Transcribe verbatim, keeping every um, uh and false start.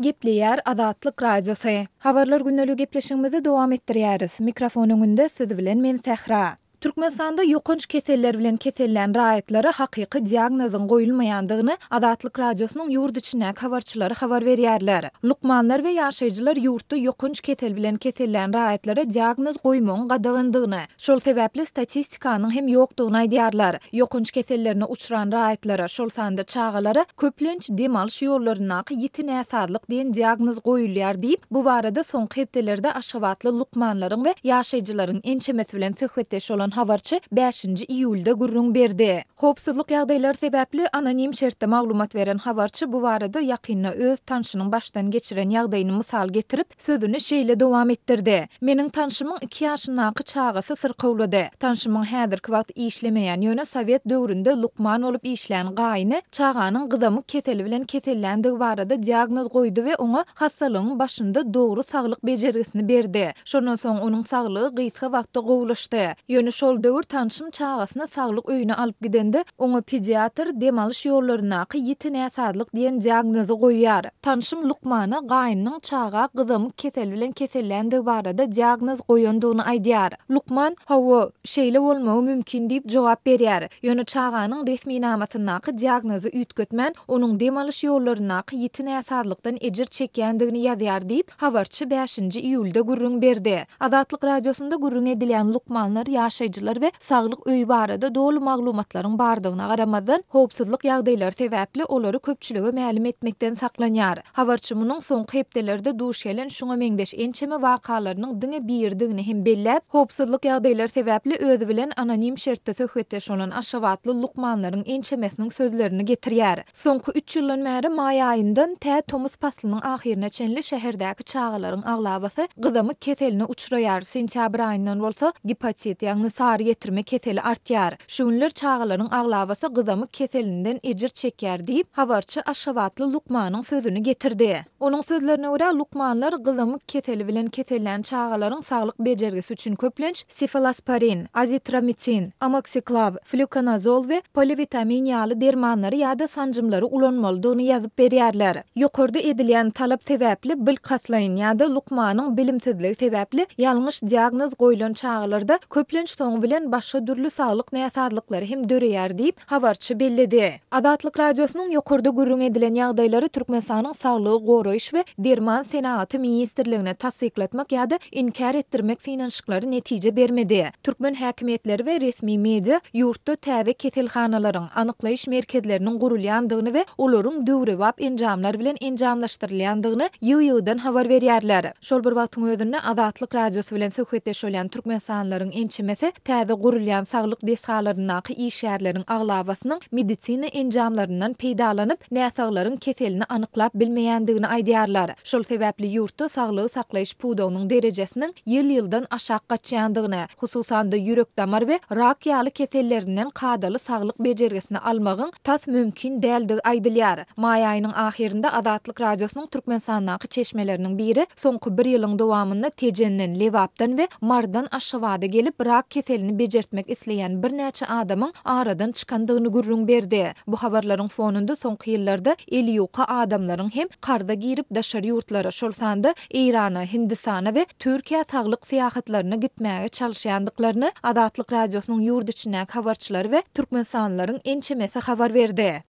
Gepleýär Azatlyk Radiosy. Habarlar gündeligi gepleşigimizi dowam etdirýäris. Mikrofon öňünde siz bilen men Sähra. Türkmenistanda ýokanç keseller bilen kesellän raýatlara hakyky diagnozyň goýulmaýandygyny Azatlyk Radiosynyň ýurt içindäki habarçylary habar berýärler. Lukmanlar we ýaşaýjylar ýurtda ýokanç kesel bilen kesellän raýatlara diagnoz goýmagyň gadagandygyny, şol sebäpli statistikanyň hem ýokdugyny aýdýarlar. Ýokanç kesellerine uçran raýatlara, şol sanda çagalara köplenç dem alyş ýollaryndaky ýiti näsazlyk diýen diagnoz goýulýar diýip, bu barada soňky hepdelerde aşgabatly lukmanlaryň we ýaşaýjylaryň ençemesi bilen söhbetdeş bolan habarçy bäşinji iýulda gürrüň berdi. Howpsuzlyk ýagdaýlary sebäpli anonim şertde maglumat beren habarçy bu barada ýakynda öz tanşynyň başdan geçiren ýagdaýyny mysal getirip, sözüni şeýle dowam etdirdi, Meniň tanşymyň iki ýaşyndaky çagasy syrkawlady. Tanşymyň häzirki wagt işlemeýän, ýöne sowet döwründe lukman bolup işlän gaýyny çaganyň gyzamyk keseli bilen keselländigi barada diagnoz goýdy we oňa hassalygyň başynda dogry saglyk bejergisini berdi. Şondan soň onuň saglygy gysga wagtda gowulaşdy. Ýöne şol döwür tanşym çagasyny saglyk öýüne alyp gidende, oňa pediatr dem alyş ýollaryndaky ýiti näsazlyk diýen diagnozy goýýar. Tanşym lukmana gaýnynyň çaga gyzamyk keseli bilen keselländigi barada diagnoz goýandygyny aýdýar. Lukman, Hawa, şeýle bolmagy mümkin diýip jogap berýär. Ýöne çaganyň resminamasyndaky diagnozy üýtgetmän, onuň dem alyş ýollaryndaky ýiti näsazlykdan ejir çekýändigini ýazýar diýip, habarçy bäşinji iýulda gürrüň berdi. Azatlyk Radiosynda gürrüň edilýän lukmanlar, ýaşaýjylar we saglyk öýi barada doly maglumatlaryň bardygyna garamazdan, howpsuzlyk ýagdaýlary sebäpli olary köpçülige mälim etmekden saklanýar. Habarçy munuň soňky hepdelerde duş gelen şuňa meňzeş ençeme wakalarynyň diňe biridigini hem belläp, howpsuzlyk ýagdaýlary sebäpli özi bilen anonim şertde söhbetdeş bolan aşgabatly lukmanlaryň ençemesiniň sözlerini getirýär. Soňky üç ýyldan bäri maý aýyndan tä tomus paslynyň ahyryna çenli şäherdäki çagalaryň aglabasy gyzamyk keseline uçraýar, sentýabr aýyndan bolsa gepatit, ýagny sary ýetirme keseli artýar. Şu günler çagalaryň aglabasy gyzamyk keselinden ejir çekýär diýip, habarçy aşgabatly lukmanyň sözüni getirdi. Onuň sözlerine görä, lukmanlar gyzamyk keseli bilen kesellän çagalaryň saglyk bejergisi üçin köplenç sefalosporin, azitromisin, amoksiklaw, flýukonazol we poliwitamin ýaly dermanlary ýa-da sanjymlary ulanmalydygyny ýazyp berýärler. Ýokarda edilýän talap sebäpli bilkastlaýyn ýa-da lukmanyň bilimsizligi sebäpli ýalňyş diagnoz goýlan çagalarda köplenç soňy bilen başga dürli saglyk näsazlyklary hem döreýär diýip, habarçy belledi. Azatlyk Radiosynyň ýokarda gürrüň edilen ýagdaýlary Türkmenistanyň Saglygy goraýyş we derman senagaty ministrligine tassyklatmak ýa-da inkär etdirmek synanyşyklary netije bermedi. Türkmen häkimiýetleri we resmi media ýurtda täze keselhanalaryň, anyklaýyş merkezleriniň gurulýandygyny we olaryň döwrebap enjamlar bilen enjamlaşdyrylýandygyny ýygy-ýygydan habar berýärler. Şol bir wagtyň özünde Azatlyk Radiosy bilen söhbetdeş bolýan türkmenistanlylaryň ençemesi täze gurulýan saglyk desgalaryndaky işgärleriň aglabasynyň medisina enjamlaryndan peýdalanyp, näsaglaryň keselini anyklap bilmeýändigini aýdýarlar. Şol sebäpli ýurtda saglygy saklaýyş pudagynyň derejesiniň ýyl-ýyldan aşak gaçýandygyny, hususan-da ýürek-damar we rak ýaly kesellerinden kadaly saglyk bejergisini almagyň tas mümkin däldigi aýdylýar. Maý aýynyň ahyrynda Azatlyk Radiosynyň Türkmenistandaky çeşmeleriniň biri soňky bir ýylyň dowamynda Tejenden, Lebapdan we Marydan Aşgabada gelip, rak keselini bejertmek isleýän birnäçe adamyň aradan çykandygyny gürrüň berdi. Bu habarlaryň fonunda soňky ýyllarda eli ýuka adamlaryň hem karza girip daşary ýurtlara, şol sanda Eýrana, Hindistana we Türkiýä saglyk syýahatlaryna gitmäge çalyşýandyklaryny Azatlyk Radiosynyň ýurt içindäki habarçylary we türkmenistanlylaryň ençemesi habar berdi.